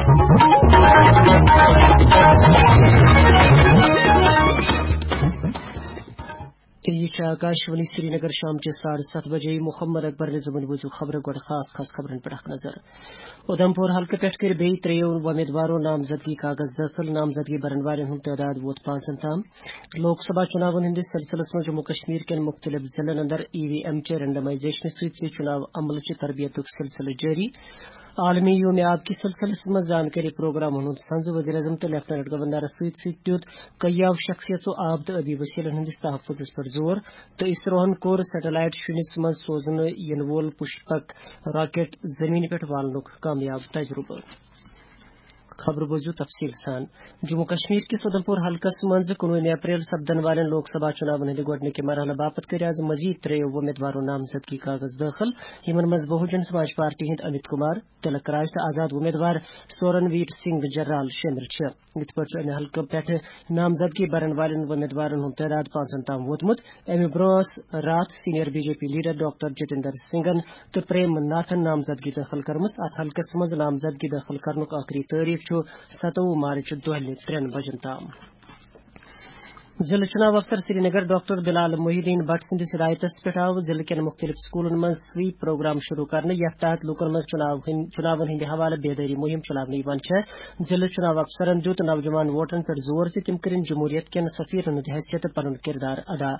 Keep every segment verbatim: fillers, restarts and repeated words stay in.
یہ چھِ آکاشوانی سرینگر۔ شام چہِ ساڑٕ ستھ بجے محمد اکبر نظامن بوٗزِو خبرٕ۔ گۄڈٕ خاص خاص خبرن پٮ۪ٹھ اکھ نظر۔ اُدھمپور حلقہٕ پٮ۪ٹھ کٔرۍ بیٚیہِ ترٛیٚیو وۄمیدوارو نامزدگی کاغذ دٲخل۔ نامزدگی برن والٮ۪ن ہُنٛد تعداد ووت پانٛژن تام۔ لوک سبھا چُناون ہٕنٛدِس سلسلس منٛز جموں کشمیر کٮ۪ن مُختٔلِف ضلعن اندر ای وی ایم چہِ رینڈمائزیشنہٕ سۭتۍ سۭتۍ چُناو عملہٕ چہِ تربیتُک سلسلہٕ جٲری۔ عالمی یوم آب کِس سلسلس منٛز زانکٲری پروگرامن ہُنٛد سنزٕ وزیر اعظم تہٕ لیفٹیننٹ گورنرس سۭتۍ سۭتۍ دیُت کیاو شخصیژو آب تہٕ ٲبی وسیلن ہٕنٛدِس تحفظس پٮ۪ٹھ زور، تہٕ اسروہن کوٚر سیٹلائٹ شُنِس منٛز سوزنہٕ یِنہٕ وول پُشپک راکٹ زمینہِ پٮ۪ٹھ والنُک کامیاب تجربہٕ۔ خبر بوزِو تفصیل سان۔ جموں کشمیر کِس اُدھمپور حلقس منٛز کُنوُہمہِ اپریل سپدن والٮ۪ن لوک سبھا چُناون ہٕنٛدِ گۄڈٕنِکہِ مرحلہٕ باپتھ کٔرۍ از مزید ترٛیٚیو وۄمیدوارو نامزدگی کاغذ دٲخل، یِمن منٛز بہوجن سماج پارٹی ہٕنٛدۍ امیت کمار، تلک راج تہٕ آزاد وۄمیدوار سورن ویر سنگھ جرال شٲمِل چھِ۔ یِتھ پٲٹھۍ چھُ امہِ حلقہٕ پٮ۪ٹھٕ نامزدگی برن والٮ۪ن وۄمیدوارن ہُنٛد تعداد پانٛژن تام ووتمُت۔ امہِ برونٛہہ ٲس راتھ senior B J P leader doctor Jitendra سنگھن تہٕ پریم ناتھن نامزدگی دٲخل کٔرمٕژ۔ اتھ حلقس منٛز نامزدگی دٲخل کرنُک ٲخری تٲریخ چھُ ستووُہ مارچ دۄہلہِ ترٛٮ۪ن بجن تام۔ ضلع چُناو افسر سرینگر ڈاکٹر بلال محی الدین بٹ سٕنٛدِس ہدایتس پٮ۪ٹھ آو ضلع کٮ۪ن مُختٔلِف سکوٗلن منٛز سویپ پروگرام شروع کرنہٕ، یتھ تحت لوٗکن منٛز چُناو ہٕنٛدۍ، چُناون ہٕنٛدِ حوالہٕ بیدٲری مُہِم چلاونہٕ یِوان چھےٚ۔ ضلع چُناو افسرن دیُت نوجوان ووٹرن پٮ۪ٹھ زور زِ تِم کٔرِن جمہوریت کٮ۪ن سفیرن ہٕنٛدِ حیثیتہٕ پنُن کردار ادا۔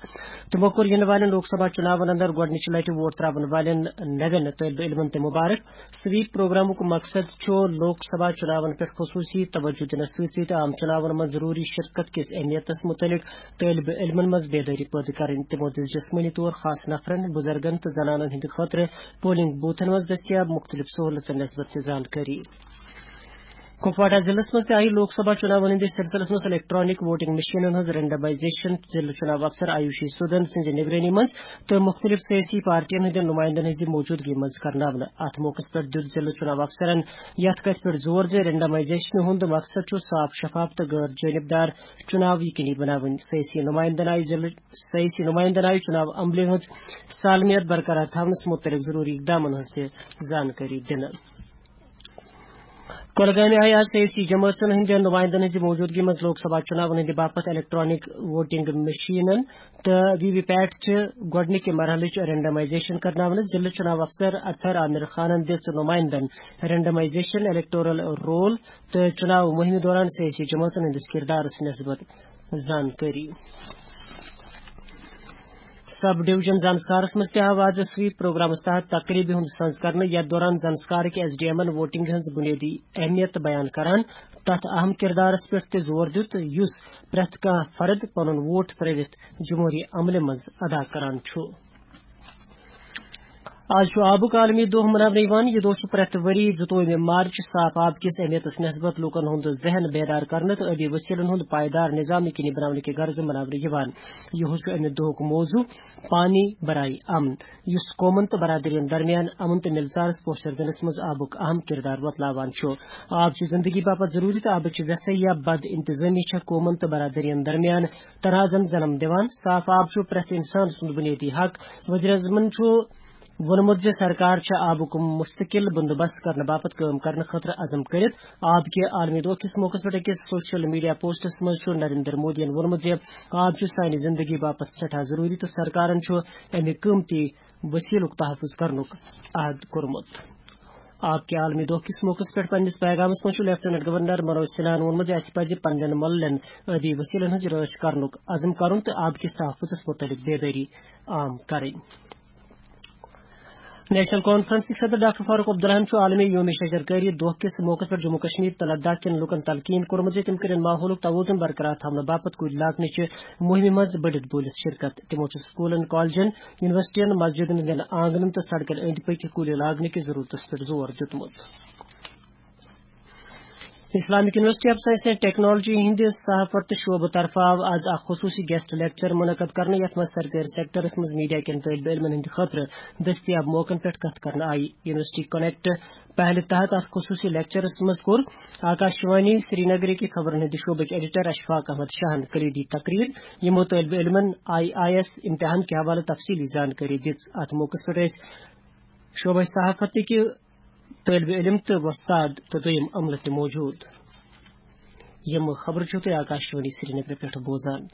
تِمو کوٚر یِنہٕ والٮ۪ن لوک سبھا چُناون اندر گۄڈٕنِچہِ لٹہِ ووٹ تراون والٮ۪ن نوٮ۪ن طٲلبہِ علمن تہِ مبارک۔ سویپ پروگرامُک مقصد چھُ لوک سبھا چُناون پٮ۪ٹھ خصوٗصی توجہ دِنس سۭتۍ سۭتۍ عام چُناون منٛز ضروٗری شرکت کِس اہمیتس مُتعلق طٲلبہِ علمن منٛز بیدٲری پٲدٕ کرٕنۍ۔ تِمو دِژ جسمٲنی طور خاص نفرن، بُزرگن تہٕ زنانن ہٕنٛدِ خٲطرٕ پولنگ بوتھن منٛز دٔستیاب مُختٔلِف سہوٗلژن نسبت تہِ زانکٲری۔ کپواڑہ ضلعس منٛز تہِ آیہِ لوک سبھا چُناون ہٕنٛدِس سلسلس منٛز الیکٹرانک ووٹنگ مشینن ہٕنٛز رینڈمائزیشن ضلع چُناو افسر آیوشی سودن سٕنٛزِ نگرٲنی منٛز تہٕ مُختٔلِف سیٲسی پارٹین ہٕنٛدٮ۪ن نُمایندن ہٕنٛزِ موجودگی منٛز کرناونہٕ۔ اتھ موقعس پٮ۪ٹھ دیُت ضلع چُناو افسرن یتھ کتھِ پٮ۪ٹھ زور زِ رینڈمائزیشنہِ ہُنٛد مقصد چھُ صاف، شفاف تہٕ غٲر جٲنِبدار چُناو یقینی بناوٕنۍ۔ سیٲسی نُمایندن آیہِ ضلع، سیٲسی نُمایندن آیہِ چُناو عملہِ ہٕنٛز سالمیت برقرار تھاونس مُتعلق ضروٗری اقدامن ہٕنٛز تہِ زانکٲری دِنہٕ۔ کۄلگامہِ آیہِ آز سیٲسی جمٲژن ہٕنٛدٮ۪ن نُمایندن ہٕنٛزِ موجودگی منٛز لوک سبھا چُناون ہٕنٛدِ باپتھ الیکٹرانک ووٹنگ مشینن تہٕ وی وی پیٹ چہِ گۄڈٕنِکہِ مرحلٕچ رینڈمائزیشن کرناونہٕ۔ ضلع چُناو افسر اطہر عامر خانن دِژ نُمایندن رینڈمائزیشن، الیکٹورل رول تہٕ چُناو مُہِمہِ دوران سیٲسی جمٲژن ہٕنٛدِس کردارس نسبت زانکٲری۔ سب ڈویژن زانسکارس منٛز تہِ آو آز سویپ پروگرامس تحت تقریبہِ ہُنٛد سنز کرنہٕ، یتھ دوران زانسکارٕکۍ ایس ڈی ایمن ووٹنگ ہٕنٛز بنیٲدی اہمیت بیان کران تتھ اہم کردارس پٮ۪ٹھ تہِ زور دیُت، یُس پرٛٮ۪تھ کانٛہہ فرد پنُن ووٹ ترٲوِتھ جمہوری عملہِ منٛز ادا کران چھُ۔ آز چھُ آبُک عالمی دۄہ مناونہٕ یِوان۔ یہِ دۄہ چھُ پرٛٮ۪تھ ؤری زٕتووُہمہِ مارچ صاف آب کِس اہمیتس نسبت لوٗکن ہُنٛد ذہن بیدار کرنہٕ تہٕ ٲبی وسیلن ہُنٛد پائیدار نظام یقینی بناونہٕ کہِ غرضہٕ مناونہٕ یِوان۔ یِہُس چھُ اَمہِ دۄہُک موضوع پانی برائے امن، یُس قومن تہٕ برادرین درمیان امن تہٕ مِلژارس پوسچر دِنس منٛز آبُک اہم کردار وۄتلاوان چھُ۔ آب چھُ زندگی باپتھ ضروٗری تہٕ آبٕچ ویژھے یا بد انتظامی چھےٚ قومن تہٕ برادرین درمیان تنازن جنم دِوان۔ صاف آب چھُ پرٛٮ۪تھ انسان سُنٛد بنیٲدی حق۔ وزیر اعظمن چھُ ووٚنمُت زِ سرکار چھےٚ آبُک مستقل بندوبست کرنہٕ باپتھ کٲم کرنہٕ خٲطرٕ عزم کٔرِتھ۔ آب کہِ عالمی دۄہ کِس موقعس پٮ۪ٹھ أکِس سوشل میڈیا پوسٹس منٛز چھُ نریندر مودیَن ووٚنمُت زِ آب چھُ سانہِ زندگی باپتھ سٮ۪ٹھاہ ضروٗری تہٕ سرکارن چھُ اَمہِ قۭمتی وسیلُک تحفظ کرنُک عہد کوٚرمُت۔ آب کہِ عالمی دۄہ کِس موقعس پٮ۪ٹھ پننِس پیغامس منٛز چھُ لیفٹیننٹ گورنر منوج سنہاہن ووٚنمُت زِ اَسہِ پزِ پننٮ۪ن مۄللٮ۪ن ٲبی وسیلن ہٕنٛز رٲچھ کرنُک عزم کرُن تہٕ آب کِس تحفظس مُتعلق بیدٲری عام کرٕنۍ۔ نیشنل کانفرنسٕکۍ صدر ڈاکٹر فاروق عبداللہن چھُ عالمی یوم شجرکاری دۄہ کِس موقعس پٮ۪ٹھ جموں کشمیر تہٕ لداخ کٮ۪ن لوٗکن تلقین کوٚرمُت زِ تِم کٔرِن ماحولُک توازن برقرار تھاونہٕ باپتھ کُلۍ لاگنٕچہِ مُہِمہِ منٛز بٔڑِتھ بوٗلِتھ شرکت۔ تِمو چھُ سکوٗلن، کالجن، یونیورسٹین، مسجدن ہٕنٛدٮ۪ن آنگنن تہٕ سڑکن أنٛدۍ پٔکۍ کُلۍ لاگنہٕ کِس ضروٗرتس پٮ۪ٹھ زور دیُتمُت۔ Islamic university of science and technology ہٕنٛدِ صحافت تہٕ شعبہٕ طرفہٕ آو آز اکھ خصوٗصی گیسٹ لیکچر منعقد کرنہٕ، یتھ منٛز سرکٲرۍ سیکٹرس منٛز میڈیا کٮ۪ن طٲلبہِ علمن ہٕنٛدِ خٲطرٕ دٔستیاب موقعن پٮ۪ٹھ کتھ کرنہٕ آیہِ۔ یونیورسٹی کنیکٹ پہلہِ تحت اتھ خصوٗصی لیکچرس منٛز کوٚر آکاشوانی سرینگرٕکہِ خبرن ہٕنٛدِ شعبٕکۍ ایڈیٹر اشفاق احمد شاہن کلیدی تقریر، یِمو طٲلبہِ علمن آئی آئی ایس امتحان کہِ حوالہٕ تفصیلی زانکٲری دِژ۔ اتھ موقعس پٮ۪ٹھ ٲسۍ شعبہٕ صحافتٕکہِ طٲلبہِ علم تہٕ وۄستاد تہٕ دوٚیِم عملہٕ تہِ موجود۔ یِم خبرٕ چھِو تُہۍ آکاشوانی سرینگرٕ پٮ۪ٹھ بوزان۔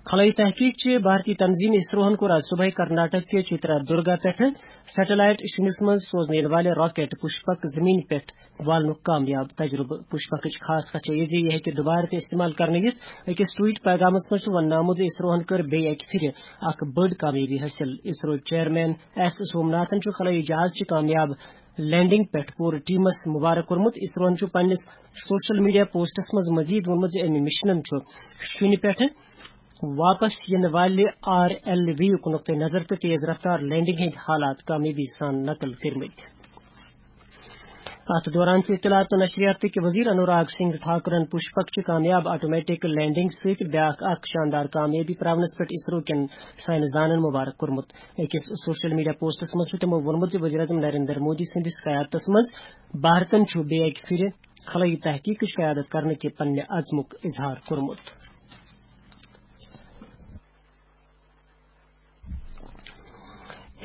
خلٲیی تحقیق چہِ بھارتی تنظیٖم اسروہن کوٚر آز صبحٲے کرناٹک کہِ چترا درگا پٮ۪ٹھٕ سیٹلائٹ شُنِس منٛز سوزنہٕ یِنہٕ والہِ راکٹ پُشپک زمین پٮ۪ٹھ والنُک کامیاب تجربہٕ۔ پُشپکٕچ خاص کتھ چھےٚ یہِ زِ یہِ ہیٚکہِ دُبارٕ تہِ استعمال کرنہٕ یِتھ۔ أکِس ٹویٹ پیغامس منٛز چھُ وننہٕ آمُت زِ اسروہن کٔر بیٚیہِ اکہِ پھِرِ اکھ بٔڑ کامیٲبی حٲصِل۔ اسروٕکۍ چیئرمین ایس سومناتھن چھُ خلٲیی جہاز چہِ کامیاب لینڈنگ پٮ۪ٹھ پوٗرٕ ٹیمس مبارک کوٚرمُت۔ اسروہن چھُ پننِس سوشل میڈیا پوسٹس منٛز مزید ووٚنمُت زِ امہِ مشنن چھُ شُنہِ پٮ۪ٹھٕ واپس یِنہٕ والہِ آر ایل وی یُک نقطہٕ نظر تہٕ تیز رفتار لینڈنگ ہٕنٛدۍ حالات کامیٲبی سان نقل کٔرمٕتۍ۔ اتھ دوران چھُ اطلاعات تہٕ نشریات کہِ وزیر انوراگ سنگھ ٹھاکرن پُشپک چہِ کامیاب آٹومیٹک لینڈنگ سۭتۍ بیاکھ اکھ شاندار کامیٲبی پراونس پٮ۪ٹھ اسرو کٮ۪ن ساینس دانن مبارک کوٚرمُت۔ أکِس سوشل میڈیا پوسٹس منٛز چھُ تِمو ووٚنمُت زِ وزیر اعظم نریندر مودی سٕنٛدِس قیادتس منٛز بھارتن چھُ بیٚیہِ اکہِ پھِرِ خلٲیی تحقیقٕچ قیادت کرنہٕ کہِ پننہِ عزمُک اظہار کوٚرمُت۔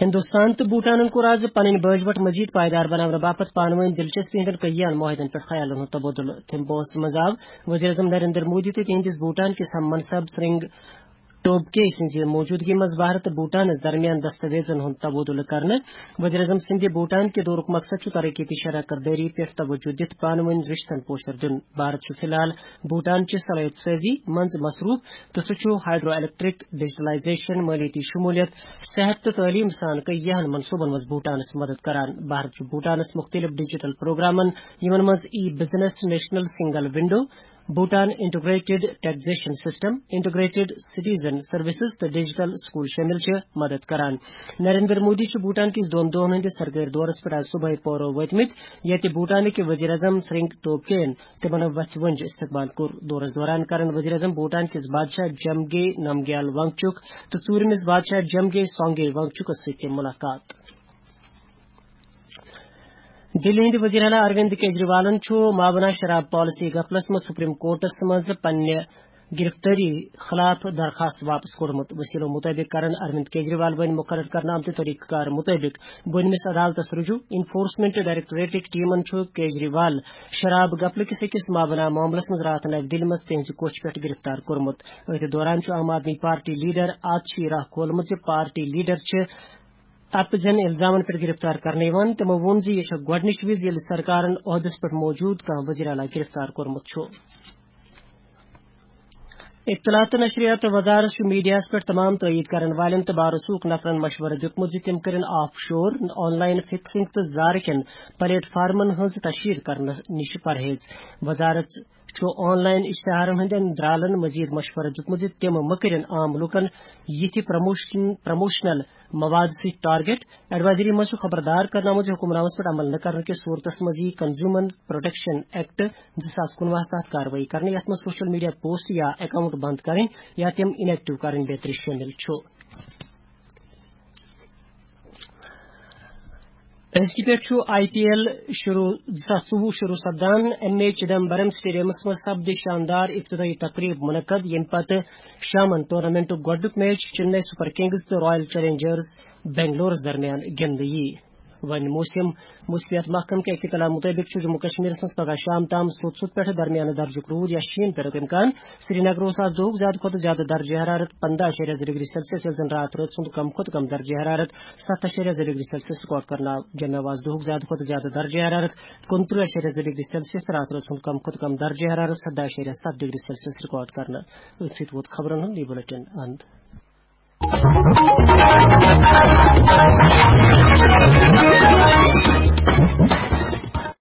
ہندوستان تہٕ بھوٹانن کوٚر آز پنٕنۍ بٲجوٹ مزید پائیدار بناونہٕ باپتھ پانہٕ وٲنۍ دلچسپی ہٕنٛدٮ۪ن کٔیان معاہدن پٮ۪ٹھ خیالن ہُنٛد تبادلہٕ۔ تھمبوہس منٛز آو وزیر اعظم نریندر مودی تہٕ تِہنٛدِس بھوٹان کِس ہم منصب سرنگ ٹوبگے سٕنٛزِ موجودگی منٛز بھارت تہٕ بھوٹانس درمیان دستاویزن ہُنٛد تبادلہٕ کرنہٕ۔ وزیر اعظم سٕنٛدِ بھوٹان کہِ دورُک مقصد چھُ ترقیتی شراکت دٲری پٮ۪ٹھ توجہ دِتھ پانہٕ وٲنۍ رشتن پوشر دیُن۔ بھارت چھُ فی الحال بھوٹان چہِ صلٲحیت سٲزی منٛز مصروف تہٕ سُہ چھُ ہائیڈرو الیکٹرک، ڈیجیٹلائزیشن، مٲلیاتی شمولیت، صحت تہٕ تعلیم سان کئی یہن منصوبن منٛز بھوٹانس مدد کران۔ بھارت چھُ بھوٹانس مختلف ڈیجیٹل پروگرامن، یِمن منٛز e business, national single window, Bhutan integrated taxation system, integrated citizen services تہٕ ڈیجیٹل سکول شٲمِل چھِ، مدد کران۔ نریندر مودی چھُ بھوٹان کِس دۄن دۄہن ہٕنٛدِس سرکٲرۍ دورس پٮ۪ٹھ آز صبحٲے پورو وٲتمٕتۍ، ییٚتہِ بھوٹانٕکۍ وزیر اعظم سرنگ ٹوبگین تِمن وژھِ ونج استقبال کوٚر۔ دورس دوران کرن وزیر اعظم بھوٹان کِس بادشاہ جمگے نمگیال وانگچک تہٕ ژوٗرمِس بادشاہ جمگے سانگے وانگچکس سۭتۍ تہِ ملاقات۔ دِلہِ ہٕنٛدِ وزیر اعلیٰ اروند کیجریوالن چھُ مابنا شراب پالیسی گفلس منٛز سپریم کورٹس منٛز پننہِ گرفتٲری خلاف درخاست واپس کوٚڑمُت۔ وسیلو مطٲبق کرن اروند کیجریوال وۄنۍ مقرر کرنہٕ آمتہِ طریقہٕ کار مطٲبق بۄنمِس عدالتس رجوع۔ انفورسمنٹ ڈائریکٹوریٹٕکۍ ٹیمن چھُ کیجریوال شراب گفلہٕ کِس أکِس مابنا معاملس منٛز راتھ نوِ دِلہِ منٛز تِہنٛزِ کوٹھہِ پٮ۪ٹھ گرفتار کوٚرمُت۔ أتھۍ دوران چھُ عام آدمی پارٹی لیڈر آتشی راہ کھولمُت زِ پارٹی لیڈر چھِ اپزن الزامن پٮ۪ٹھ گرفتار کرنہٕ یِوان۔ تِمو ووٚن زِ یہِ چھےٚ گۄڈٕنِچ وِزِ ییٚلہِ سرکارن عہدس پٮ۪ٹھ موجود کانٛہہ وزیر اعلیٰ گرفتار کوٚرمُت چھُ۔ اطلاعات تہٕ نشریات وزارت چھُ میڈیاہَس پٮ۪ٹھ تمام تٲیید کرن والٮ۪ن تہٕ بھروسُک نفرن مشورٕ دیُتمُت زِ تِم کٔرِن of sure, on line fixing تہٕ زارٕ کٮ۪ن پلیٹ فارمن ہٕنٛز تشہیر کرنہٕ نِش پرہیز۔ وزارت چھُ آن لائن اشتہارن ہٕنٛدٮ۪ن درالن مزید مشورٕ دیُتمُت زِ تِم مہٕ کٔرِن عام لوٗکن یِتھۍ پروموشن، پروموشنل مواد سۭتۍ ٹارگٹ۔ ایڈوائزری منٛز چھُ خبردار کرنہٕ آمُت زِ حکمنامس پٮ۪ٹھ عمل نہٕ کرنہٕ کِس صورتس منٛز یِیہِ کنزیومر پروٹیکشن ایکٹ زٕ ساس کُنوُہس تحت کاروٲیی کرنہٕ، یتھ منٛز سوشل میڈیا پوسٹ یا اکاؤنٹ بند کرٕنۍ یا تِم ان ایکٹیو کرٕنۍ بیترِ شٲمِل چھُ۔ أزکہِ پٮ۪ٹھ چھُ آئی پی ایل شروع، زٕ ساس ژوٚوُہ شروع سپدان۔ ایم اے چدمبرم سٹیڈیمس منٛز سپدِ شاندار افتتاحی تقریب منعقد، ییٚمہِ پتہٕ شامن ٹورنامنٹُک گۄڈٕنیُک میچ چنئی سپر کنگز تہٕ رائل چیلنجرز بنگلورس درمیان گِنٛدنہٕ یِیہِ۔ وۄنۍ موسم، موسمیات محکمہٕ کہِ اطلاع مُطٲبِق چھُ جموں کشمیرس منٛز پگہہ شام تام سوٚت سوٚت پٮ۪ٹھٕ درمیانہٕ درجُک روٗد یا شیٖن پٮ۪نُک امکان۔ سرینگر اوس آز دۄہُک زیادٕ کھۄتہٕ زیادٕ درجہ حرارت پنداہ اَشاریہ زٕ ڈگری سیلسیس، ییٚلہِ زن راتھ رٲژ ہُنٛد کم کھۄتہٕ کم درجہ حرارت ستھ اَشاریہ زٕ ڈگری سیلسیس ریکارڈ کرنہٕ آو۔ جمعہ اوس آز دۄہُک زیادٕ کھۄتہٕ زیادٕ درجہ حرارت کُنترٕہ اَشاریہ زٕ ڈگری سیلسیس تہٕ راتھ رٲژ ہُنٛد کم کھۄتہٕ کم درجہ حرارت سداہ اَشاریہ ستھ ڈگری سیلسیس ریکارڈ کرنہٕ۔ أتھۍ سۭتۍ ووت خبرن ہُنٛد یہِ بُلٹن اند۔